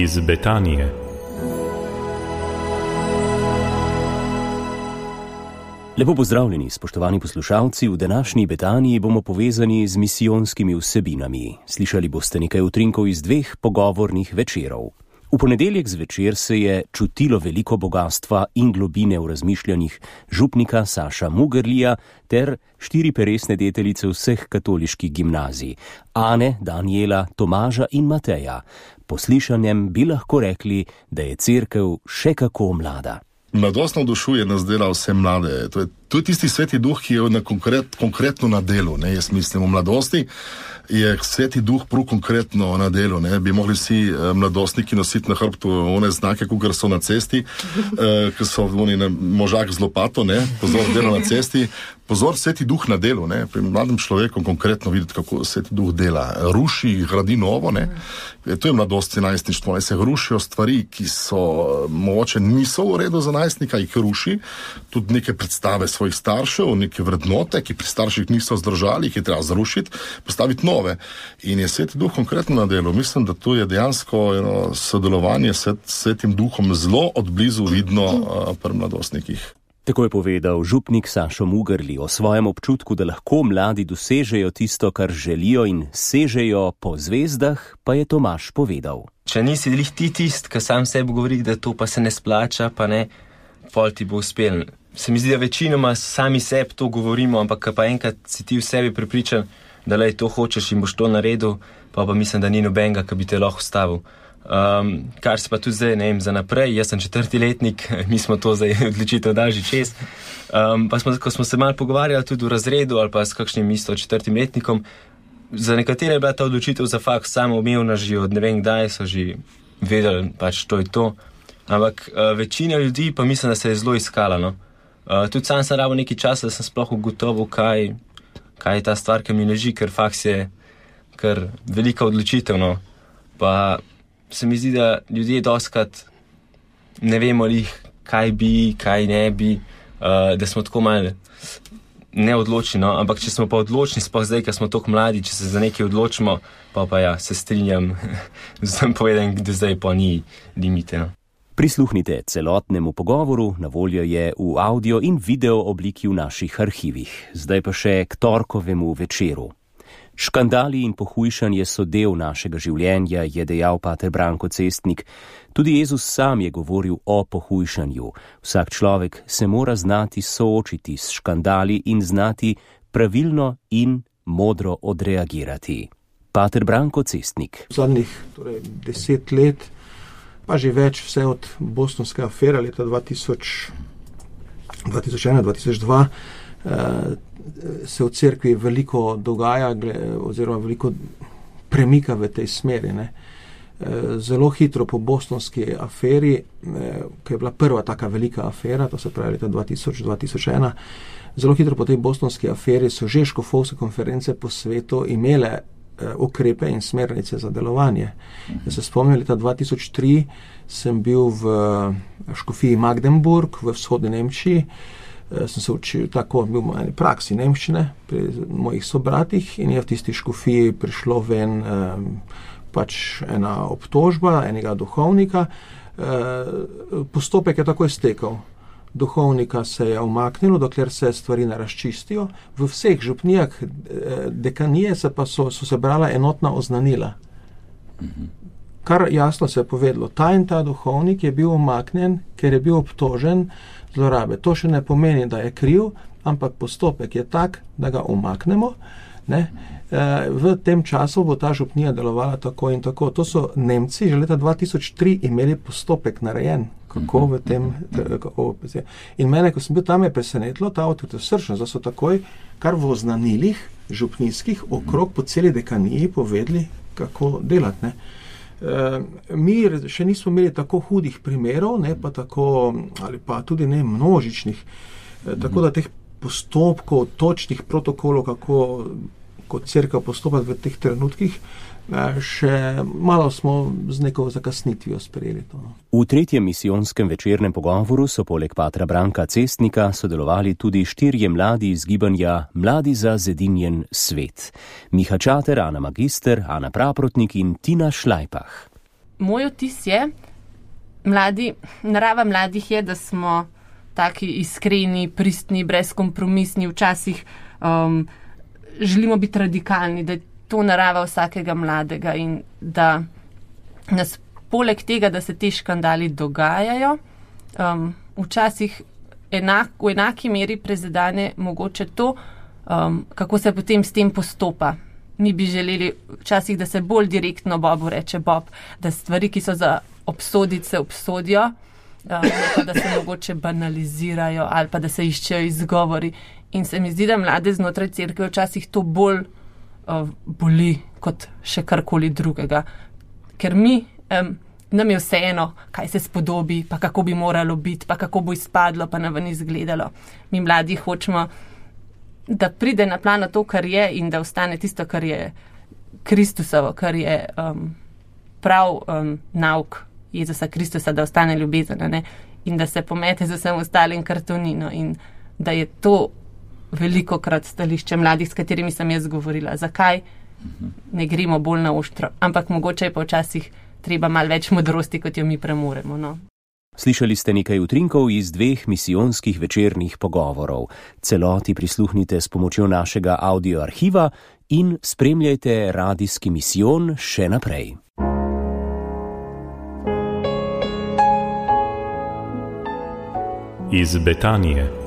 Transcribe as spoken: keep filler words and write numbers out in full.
iz Betanije. Lepo pozdravljeni, spoštovani poslušalci. V današnji Betaniji bomo povezani z misijonskimi vsebinami. Slišali boste nekaj utrinkov iz dveh pogovornih večerov. V ponedeljek zvečer se je čutilo veliko bogatstva in globine v razmišljanjih župnika Saša Mugerlija ter štiri peresne deteljice vseh katoliških gimnazij, Ane, Danijela, Tomaža in Mateja. Po slišanjem bi lahko rekli, da je cerkev še kako mlada. Mladost navdušuje nas dela vse mlade. To je, to je tisti sveti duh, ki je na konkret, konkretno na delu. Ne? Jaz mislim, v mladosti je sveti duh prav konkretno na delu. Ne? Bi mogli vsi eh, mladostniki nositi na hrbtu one znake, kukor so na cesti, eh, ki so oni na možak z lopato, ne? Pozor delo na cesti. Pozor, sveti duh na delu, ne? Pri mladem človeku konkretno videti, kako sveti duh dela. Ruši, gradi novo, ne? To je mladost in najstništvo. Ne? Se rušijo stvari, ki so mogoče niso v redu za najstnika, jih ruši. Tudi neke predstave svojih staršev, neke vrednote, ki pri starših niso zdržali, jih je treba zrušiti, postaviti nove. In je sveti duh konkretno na delu. Mislim, da tu je dejansko eno sodelovanje s svetim duhom zelo odblizu vidno uh, pri mladostnikih. Tako je povedal župnik Sašo Mugerli o svojem občutku, da lahko mladi dosežejo tisto, kar želijo in sežejo po zvezdah, pa je Tomaž povedal. Če nisi lih ti tist, ki sam sebi govori, da to pa se ne splača, pa ne, pol ti bo uspel. Se mi zdi, da večinoma sami sebi to govorimo, ampak pa enkrat si ti v sebi prepričan, da lej to hočeš in boš to naredil, pa pa mislim, da ni nobenega, ki bi te lahko ustavil. Um, kar se pa tudi zdaj, ne vem, za naprej, jaz sem četrti letnik, mi smo to zdaj odločitev dali že čez. Um, pa smo, ko smo se malo pogovarjali tudi v razredu ali pa s kakšnim isto četrtim letnikom, za nekatere je bila ta odločitev za fakt samoumevna že od ne vem kdaj, so že vedeli, pač to je to. Ampak uh, večina ljudi pa mislim, da se je zelo iskala, no. Uh, tudi sam sem rabo nekaj časa, da sem sploh ugotovil, kaj, kaj je ta stvar, ki mi leži, ker faks je kar velika odločitev, no. Pa se mi zdi, da ljudje doskrat ne vemo lih, kaj bi, kaj ne bi, uh, da smo tako malo neodločni, no? Ampak če smo pa odločni, sploh zdaj, ker smo toliko mladi, če se za nekaj odločimo, pa pa ja, se strinjam z tem povedem, da zdaj pa ni limite, no. Prisluhnite celotnemu pogovoru, na voljo je v audio in video obliki v naših arhivih. Zdaj pa še k torkovemu večeru. Škandali in pohujšanje so del našega življenja, je dejal pater Branko Cestnik. Tudi Jezus sam je govoril o pohujšanju. Vsak človek se mora znati soočiti s škandali in znati pravilno in modro odreagirati. Pater Branko Cestnik. Zadnjih torej, deset let, pa že več vse od bostonske afere leta dva tisoč ena dva tisoč dva, se v cerkvi veliko dogaja oziroma veliko premika v tej smeri. Ne. Zelo hitro po bostonski aferi, ki je bila prva taka velika afera, to se pravi leta dva tisoč do dva tisoč ena, zelo hitro po tej bostonski aferi so že škofovske konference po svetu imele ukrepe in smernice za delovanje. Jaz se spomnim, leta dva tisoč tri sem bil v škofiji Magdeburg v vzhodni Nemčiji. Sem se učil tako, bil v eni praksi nemščine pri mojih sobratih in je v tisti škofiji prišlo ven eh, pač ena obtožba enega duhovnika. Eh, postopek je takoj stekel. Duhovnika se je umaknilo, dokler se stvari ne razčistijo. V vseh župnijah eh, dekanije se pa so, so se brala enotna oznanila. Kar jasno se je povedalo, ta in ta duhovnik je bil umaknjen, ker je bil obtožen zlorabe. To še ne pomeni, da je kriv, ampak postopek je tak, da ga umaknemo. Ne? E, v tem času bo ta župnija delovala tako in tako. To so Nemci že leta dva tisoč tri imeli postopek narejen. Kako v tem... Kako, in mene, ko sem bil tam, je presenetilo ta avtoritosrčnost, da so takoj kar v oznanilih župnijskih okrog po celi dekaniji povedali, kako delati. Ne? Uh, mi še nismo imeli tako hudih primerov, ne pa tako, ali pa tudi ne množičnih, uh, tako da teh postopkov, točnih protokolov, kako kot cerkev postopati v teh trenutkih, še malo smo z neko zakasnitvijo sprejeli to. V tretjem misijonskem večernem pogovoru so poleg patra Branka Cestnika sodelovali tudi štirje mladi iz gibanja Mladi za zedinjen svet. Miha Čater, Ana Magister, Ana Praprotnik in Tina Šlajpah. moj vtis je, mladi, narava mladih je, da smo taki iskreni, pristni, brezkompromisni, včasih um, želimo biti radikalni, da je to narava vsakega mladega in da nas poleg tega, da se te škandali dogajajo, um, včasih enak, v enaki meri prezadane mogoče to, um, kako se potem s tem postopa. Mi bi želeli včasih, da se bolj direktno Bobu reče Bob, da stvari, ki so za obsoditi, se obsodijo, uh, pa da se mogoče banalizirajo ali pa da se iščejo izgovori. In se mi zdi, da mlade znotraj cerkve včasih to bolj uh, boli kot še karkoli drugega. Ker mi, um, nam je vseeno, kaj se spodobi, pa kako bi moralo biti, pa kako bo izpadlo, pa na ven izgledalo. Mi mladi hočemo, da pride na plano to, kar je in da ostane tisto, kar je Kristusovo, kar je um, prav um, nauk Jezusa Kristusa, da ostane ljubezen, ne? In da se pomete z vsem ostalim kartonino in da je to veliko krat stališče mladih, s katerimi sem jaz govorila. Zakaj ne gremo bolj na ostro? Ampak mogoče je pa včasih treba malo več modrosti, kot jo mi premoremo, no. Slišali ste nekaj utrinkov iz dveh misijonskih večernih pogovorov. Celoti prisluhnite s pomočjo našega audio arhiva in spremljajte radijski misijon še naprej. Iz Betanije.